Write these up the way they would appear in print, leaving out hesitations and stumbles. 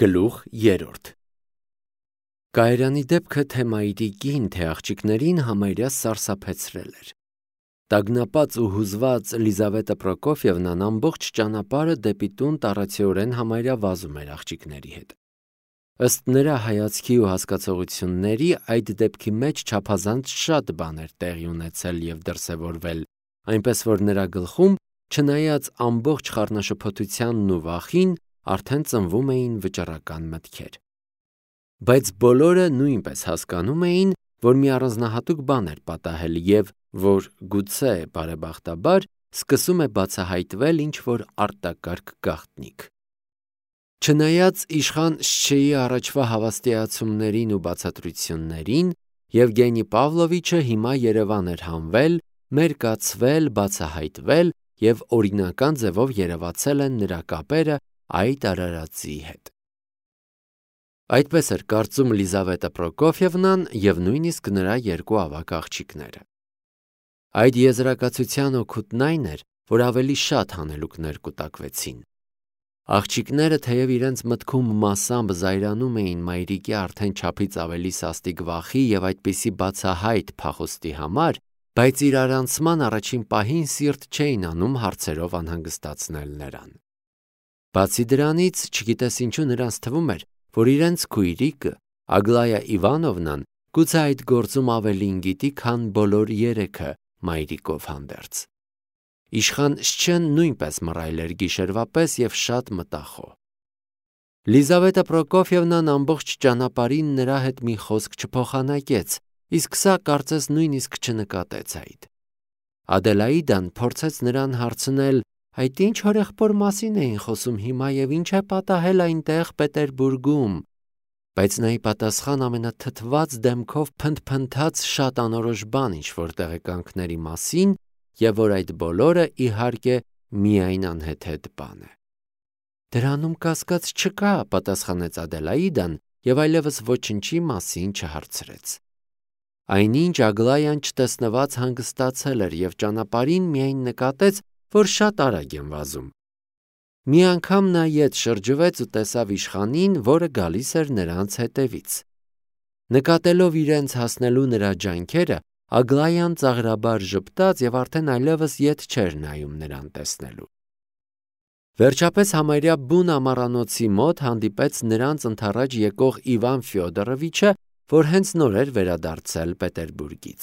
Գլուխ 3 Կայարանի դեպքը թե մայրիկին, թե աղջիկներին համարյա սարսափեցրել էր։ Տագնապած ու հուզված Լիզավետա Պրոկոֆիևնան ամբողջ ճանապարհը դեպի տուն տառացիորեն համարյա վազում էր աղջիկների հետ։ Ըստ նրա հայացքի ու հասկացողությունների, այդ դեպքի մեջ չափազանց շատ բան էր տեղի ունեցել և դրսևորվել, այնպես որ նրա գլխում, չնայած ամբողջ խառնաշփոթությանն ու վախին, արդեն ծնվում էին վճռական մտքեր։ Բայց բոլորը նույնպես հասկանում էին, որ մի առանձնահատուկ բան էր պատահել և որ, գուցե բարեբախտաբար, սկսում է բացահայտվել ինչ-որ արտակարգ գաղտնիք։ Չնայած իշխան Շչեի առաջվա հավաստիացումներին ու բացատրություններին, Եվգենի Պավլովիչը հիմա Երևան էր հանվել, մերկացվել, բացահայտվել և օրինական ձևով երևացել են նրա կապերը այդ արարածի հետ։ Այդպես էր կարծում Լիզավետա Պրոկոֆիևնան և նույնիսկ նրա երկու ավագ աղջիկները։ Այդ եզրակացության օգուտն այն էր, որ ավելի շատ հանելուկներ կուտակվեցին։ Աղջիկները թեև իրենց մտքում մասամբ զայրանում էին մայրիկի արդեն չափից ավելի սաստիկ վախի և այդպիսի բացահայտ փախուստի համար, բայց իրարանցման առաջին պահին սիրտ չէին անում հարցերով անհանգստացնել նրան։ Բացի դրանից, չգիտես ինչու նրանց թվում էր, որ իրենց քույրիկը, Ագլայա Իվանովնան, գուցե այդ գործում ավելին գիտի, քան բոլոր երեքը մայրիկով հանդերձ։ Իշխան Շչեն նույնպես մռայլ էր գիշերվա պես և շատ մտախոհ։ Լիզավետա Պրոկոֆիևնան ամբողջ ճանապարհին նրա հետ մի խոսք չփոխանակեց, իսկ սա կարծես նույնիսկ չնկատեց այդ։ Ադելաիդան փորձեց նրան հարցնել, այդ ինչ հորեղբոր մասին էին խոսում հիմա և ինչ է պատահել այնտեղ Պետերբուրգում, բայց նա ի պատասխան ամենաթթված դեմքով փնթփնթաց շատ անորոշ բան ինչ-որ տեղեկանքների մասին և որ այդ բոլորը, իհարկե, միայն անհեթեթ բան է։ Դրանում կասկած չկա, պատասխանեց Ադելաիդան և այլևս ոչնչի մասին չհարցրեց։ Այնինչ Ագլայան չտեսնված հանգստացել էր և ճանապարհին միայն նկատեց, որ շատ արագ են վազում։ Մի անգամ նա ետ շրջվեց ու տեսավ իշխանին, որը գալիս էր նրանց հետևից։ Նկատելով իրենց հասնելու նրա ջանքերը, Ագլայան ծաղրաբար ժպտաց և արդեն այլևս ետ չէր նայում նրան տեսնելու։ Վերջապես համարյա բուն ամառանոցի մոտ հանդիպեց նրանց ընդառաջ եկող Իվան Ֆյոդորովիչը, որ հենց նոր էր վերադարձել Պետերբուրգից։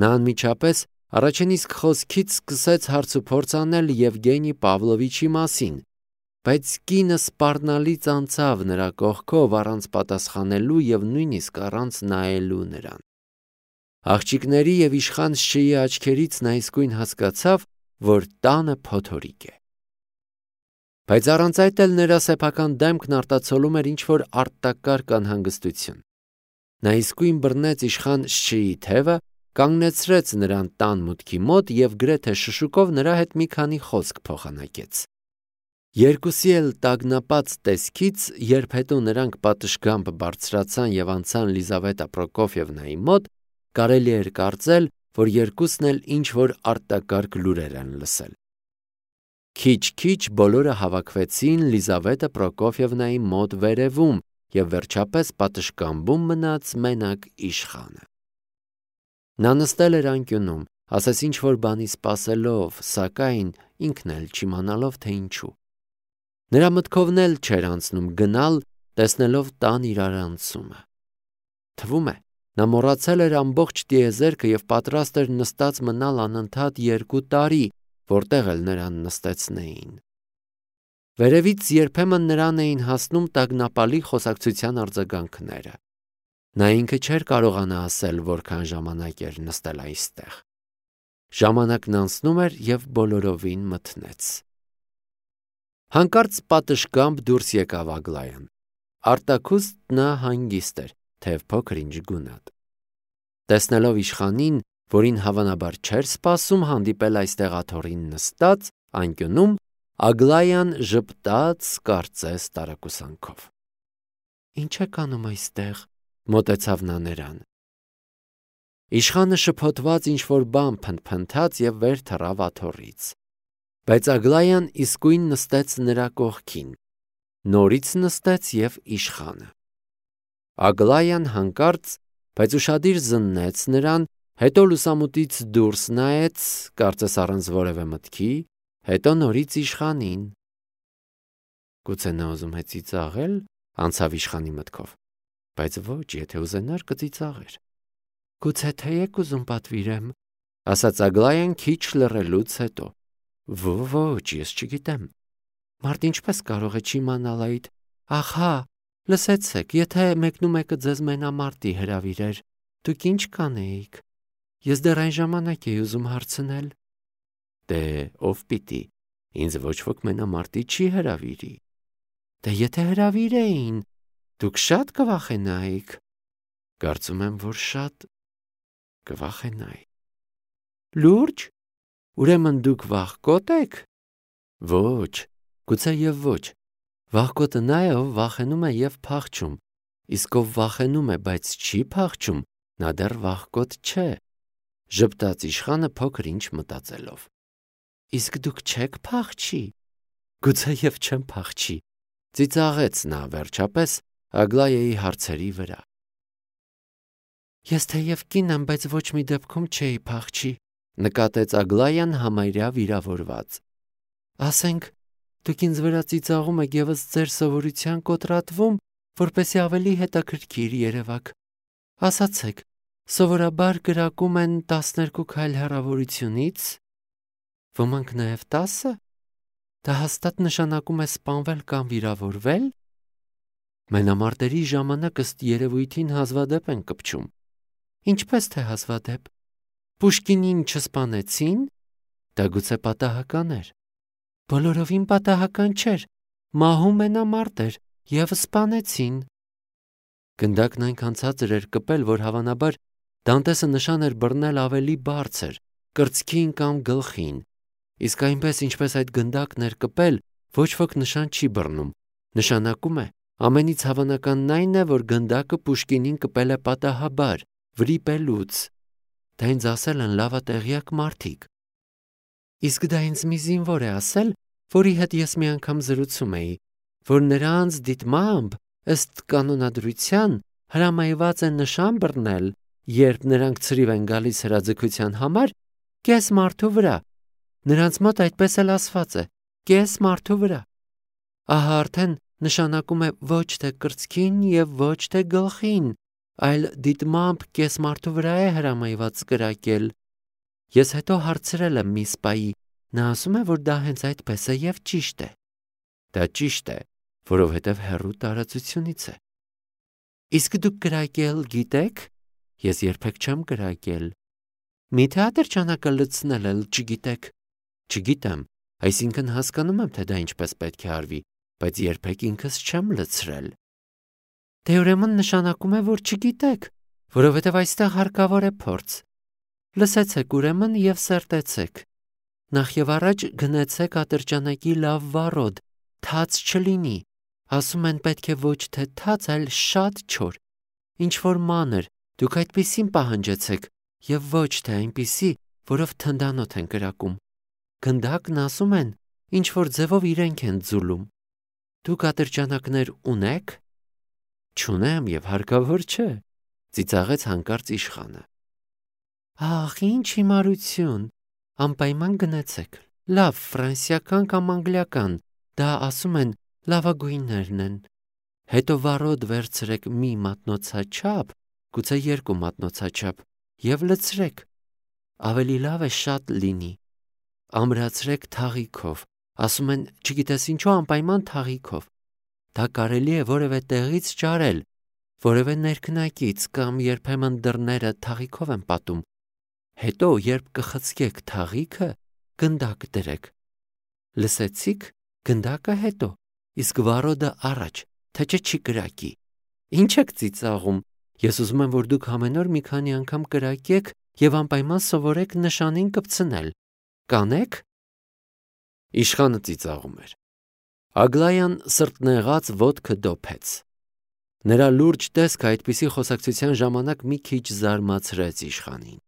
Նա անմիջապես առաջին իսկ խոսքից սկսեց հարցուփորձ անել Եվգենի Պավլովիչի մասին, բայց կինը սպառնալից անցավ նրա կողքով առանց պատասխանելու և նույնիսկ առանց նայելու նրան։ Աղջիկների և իշխան Շչեի աչքերից նա իսկույն հասկացավ, որ տանը փոթորիկ է։ Բայց առանց այդ էլ նրա սեփական դեմքն արտացոլում էր ինչ-որ արտակարգ անհանգստություն։ Նա իսկույն բռնեց իշխան Շչեի թևը, կանգնեցրեց նրան տան մուտքի մոտ և գրեթե շշուկով նրա հետ մի քանի խոսք փոխանակեց։ Երկուսի էլ տագնապած տեսքից, երբ հետո նրանք պատշգամբ բարձրացան և անցան Լիզավետա Պրոկոֆիևնայի մոտ, կարելի էր կարծել, որ երկուսն էլ ինչ-որ արտակարգ լուրեր են լսել։ Քիչ-քիչ բոլորը հավաքվեցին Լիզավետա Պրոկոֆիևնայի մոտ վերևում և վերջապես պատշգամբում մնաց մենակ իշխանը։ Նա նստել էր անկյունում, ասես ինչ-որ բանի սպասելով, սակայն ինքն էլ չիմանալով, թե ինչու։ Նրա մտքովն էլ չէր անցնում գնալ, տեսնելով տան իրարանցումը։ Թվում է, նա մոռացել էր ամբողջ տիեզերքը և պատրաստ էր նստած մնալ անընդհատ 2 տարի, որտեղ էլ նրան նստեցնեին։ Վերևից երբեմն նրան էին հասնում տագնապալի խոսակցության արձագանքները։ Նա ինքը չէր կարողանա ասել, որքան ժամանակ էր նստել այստեղ։ Ժամանակն անցնում էր և բոլորովին մթնեց։ Հանկարծ պատշգամբ դուրս եկավ Ագլայան։ Արտաքուստ նա հանգիստ էր, թեև փոքր-ինչ գունատ։ Տեսնելով իշխանին, որին հավանաբար չէր սպասում հանդիպել այստեղ աթոռին նստած, անկյունում, Ագլայան ժպտաց, կարծես տարակուսանքով։ Ինչ եք անում այստեղ, մոտեցավ նա նրան։ Իշխանը շփոթված ինչ-որ բան փնթփնթաց և վեր թռավ աթոռից։ Բայց Ագլայան իսկույն նստեց նրա կողքին։ նորից նստեց և իշխանը։ Ագլայան հանկարծ, բայց ուշադիր զննեց նրան, հետո լուսամուտից դուրս նայեց, կարծես առանց որևէ մտքի, հետո նորից իշխանին։ Գուցե նա ուզում է ծիծաղել, անցավ իշխանի մտքով, բայց ոչ, եթե ուզենար կծիծաղեր։ Գուցե թե եք ուզում պատվիրեմ, ասաց Ագլայան քիչ լռելուց հետո։ Ոչ, ես չգիտեմ։ Մարդ ինչպես կարող է չիմանալ այդ։ Ահա, լսեցեք, եթե մեկնումեկը ձեզ մենամարտի հրավիրեր, դուք ինչ կանեիք։ Ես դեռ այն ժամանակ էի ուզում հարցնել։ Դե ով պիտի, ինձ ոչ ոք մենամարտի չի հրավիրի։ Դե եթե հրավիրեին, դուք շատ կվախենայիք։ Կարծում եմ, որ շատ կվախենայի։ Լուրջ։ Ուրեմն դուք վախկոտ եք։ Ոչ, գուցե եւ ոչ։ Վախկոտը նա է, ով վախենում է եւ փախչում, իսկ ով վախենում է, բայց չի փախչում, նա դեռ վախկոտ չէ։ Ժպտաց իշխանը փոքր ինչ մտածելով։ Իսկ դուք չեք փախչի։ Գուցե եւ չեմ փախչի, ծիծաղեց նա վերջապես Ագլայայի հարցերի վրա։ Ես թեև կին եմ, բայց ոչ մի դեպքում չէի փախչի, նկատեց Ագլայան համարյա վիրավորված։ Ասենք, դուք ինձ վրա ծիծաղում եք եւ ըստ ձեր սովորության կոտրատվում, որպեսզի ավելի հետաքրքիր երևաք։ Ասացեք, սովորաբար կրակում են 12 քայլ հեռավորությունից, ոմանք նաեւ 10։ Դա հաստատ նշանակում է սպանվել կամ վիրավորվել։ Մենամարտերի ժամանակ ըստ երևույթին հազվադեպ են կպչում։ Ինչպես թե հազվադեպ։ Պուշկինին չսպանեցին, դա գուցե պատահական էր։ Բոլորովին պատահական չէր, մահու մենամարտ էր եւ սպանեցին։ Գնդակն այնքան ցածր էր կպել, որ հավանաբար Դանտեսը նշան էր բռնել ավելի բարձր, կրծքին կամ գլխին, իսկ այնպես ինչպես այդ գնդակն էր կպել, ոչ ոք նշան չի բռնում։ Նշանակում է, ամենից հավանականն այն է, որ գնդակը Պուշկինին կպել է պատահաբար, վրիպելուց։ Դա ինձ ասել են լավատեղյակ մարդիկ։ Իսկ դա ինձ մի զինվոր է ասել, որի հետ ես մի անգամ զրուցում էի, որ նրանց դիտմամբ ըստ կանոնադրության հրամայված է նշան բռնել, երբ նրանք ցրիվ են գալիս հրաձգության համար, կես մարդու վրա։ Նրանց մոտ այդպես էլ ասված է, կես մարդու վրա։ Ահա արդեն նշանակում է ոչ թե կրծքին եւ ոչ թե գլխին, այլ դիտմամբ կես մարդու վրա է հրամայված կրակել։ Ես հետո հարցրել եմ մի սպայի, նա ասում է, որ դա հենց այդպես է եւ ճիշտ է։ Դա ճիշտ է, որովհետեւ հեռու տարածությունից է։ Իսկ դուք կրակել գիտեք։ Ես երբեք չեմ կրակել։ Միթե ատրճանակը լցնել էլ չգիտեք։ Չգիտեմ, այսինքն հասկանում եմ, թե դա ինչպես պետք է արվի, բայց երբեք ինքս չեմ լցրել։ Դե ուրեմն նշանակում է, որ չգիտեք, որովհետև այստեղ հարկավոր է փորձ։ Լսեցեք ուրեմն եւ սերտեցեք։ Նախ եւ առաջ գնացեք ատրճանակի լավ վառոդ, թաց չլինի։ Ասում են պետք է ոչ թե թաց, այլ շատ չոր։ Ինչ որ մանր, դուք այդպիսին պահանջեցեք եւ ոչ թե այնպիսի, որով թնդանոթ են կրակում։ Գնդակն ասում են, ինչ որ ձևով իրենք են ձուլում։ Դուք ատրճանակներ ունեք։ Չունեմ եւ հարկավոր չէ, ծիծաղեց հանկարծ իշխանը։ Ահ, ինչ հիմարություն, անպայման գնացեք։ Լավ, ֆրանսիական կամ անգլիական, դա ասում են լավագույններն են։ Հետո վառոդ վերցրեք մի մատնոցաչափ, գուցե 2 մատնոցաչափ, եւ լցրեք։ Ավելի լավ է շատ լինի։ Ամրացրեք թաղիքով, ասում են, չգիտես ինչու անպայման թաղիքով։ Դա կարելի է որևէ տեղից ճարել, որևէ ներքնակից կամ երբեմն դռները թաղիքով են պատում։ Հետո, երբ կխցկեք թաղիքը, գնդակ դրեք։ Լսեցիք, գնդակը հետո, իսկ վառոդը առաջ, թե չի կրակի։ Ինչ եք ծիծաղում։ Ես ուզում եմ, որ դուք ամեն օր մի քանի անգամ կրակեք եւ անպայման սովորեք նշանին կպցնել։ Կանեք։ Իշխանը ծիծաղում էր։ Ագլայան սրտնեղած ոտքը դոփեց։ Նրա լուրջ տեսքը այդպիսի խոսակցության ժամանակ մի քիչ զարմացրեց իշխանին։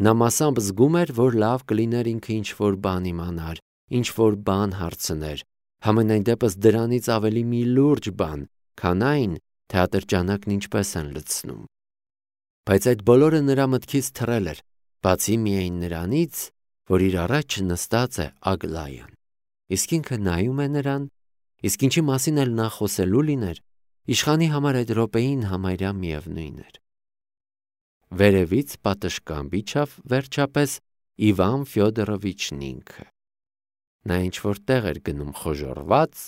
Նա մասամբ զգում էր, որ լավ կլիներ ինքը ինչ-որ բան իմանար, ինչ-որ բան հարցներ, Համենայն դեպս դրանից ավելի մի լուրջ բան, քան այն, թե ատրճանակն ինչպես են լցնում։ Բայց այդ բոլորը նրա մտքից թռել էր, բացի միայն նրանից, որ իր առաջ նստած է Ագլայան։ Իսկ ինքը նայում է նրան, իսկ ինչի մասին էլ նա խոսելու լիներ, իշխանի համար այդ րոպեին համարյա միևնույն էր։ Վերևից պատշգամբ իջավ վերջապես Իվան Ֆյոդորովիչն ինքը։ Նա ինչ-որ տեղ էր գնում խոժոռված,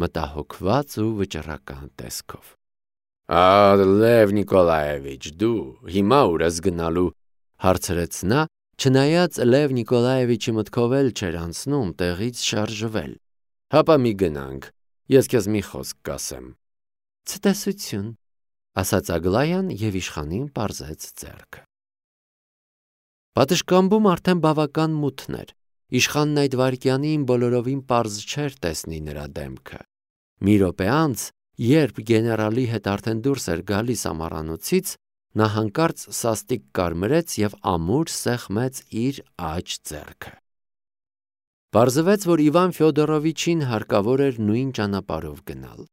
մտահոգված ու վճռական տեսքով։ Լև Նիկոլաևիչ, դու հիմա ուր ես գնալու, հարցրեց նա, չնայած Լև Նիկոլաևիչի մտքով էլ չէր անցնում տեղից շարժվել։ Հապա մի գնանք, ես քեզ մի խոսք կասեմ։ Ցտեսություն, ասաց Ագլայան եւ իշխանին պարզեց ձեռքը։ Պատշգամբում արդեն բավական մութն էր։ Իշխանն այդ վայրկյանին բոլորովին պարզ չէր տեսնի նրա դեմքը։ Մի րոպե անց, երբ գեներալի հետ արդեն դուրս էր գալիս ամառանոցից, նա հանկարծ սաստիկ կարմրեց եւ ամուր սեղմեց իր աջ ձեռքը։ Պարզվեց, որ Իվան Ֆյոդորովիչին հարկավոր էր նույն ճանապարհով գնալ։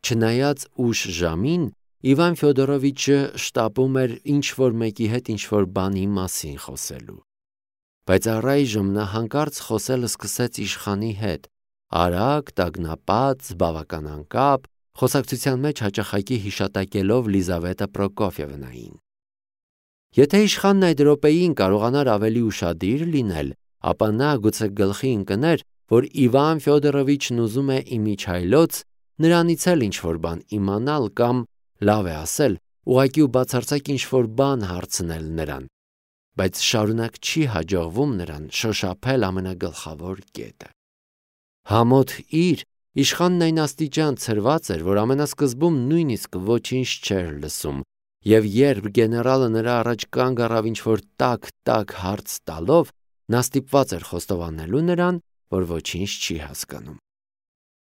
Չնայած ուշ ժամին, Իվան Ֆյոդորովիչը շտապում էր ինչ-որ մեկի հետ ինչ-որ բանի մասին խոսելու։ Բայց առայժմ նա հանկարծ խոսել սկսեց իշխանի հետ, արագ, տագնապած, բավական անկապ, խոսակցության մեջ հաճախակի հիշատակելով Լիզավետա Պրոկոֆիևնային։ Եթե իշխանն այդ րոպեին կարողանար ավելի ուշադիր լինել, ապա նա գուցե գլխի ընկներ, որ Իվան Ֆյոդորովիչն ուզում է իմիջայլոց նրանից էլ ինչ-որ բան իմանալ կամ, լավ է ասել, ուղղակի ու բացարձակ ինչ-որ բան հարցնել նրան, բայց շարունակ չի հաջողվում նրան շոշափել ամենագլխավոր կետը։ Համոթ իր, իշխանն այն աստիճան ցրված էր, որ ամենասկզբում նույնիսկ ոչինչ չէր լսում, եւ երբ գեներալը նրա առաջ կանգ առավ ինչ-որ տաք հարց տալով, նա ստիպված էր խոստովանելու նրան, որ ոչինչ չի հասկանում։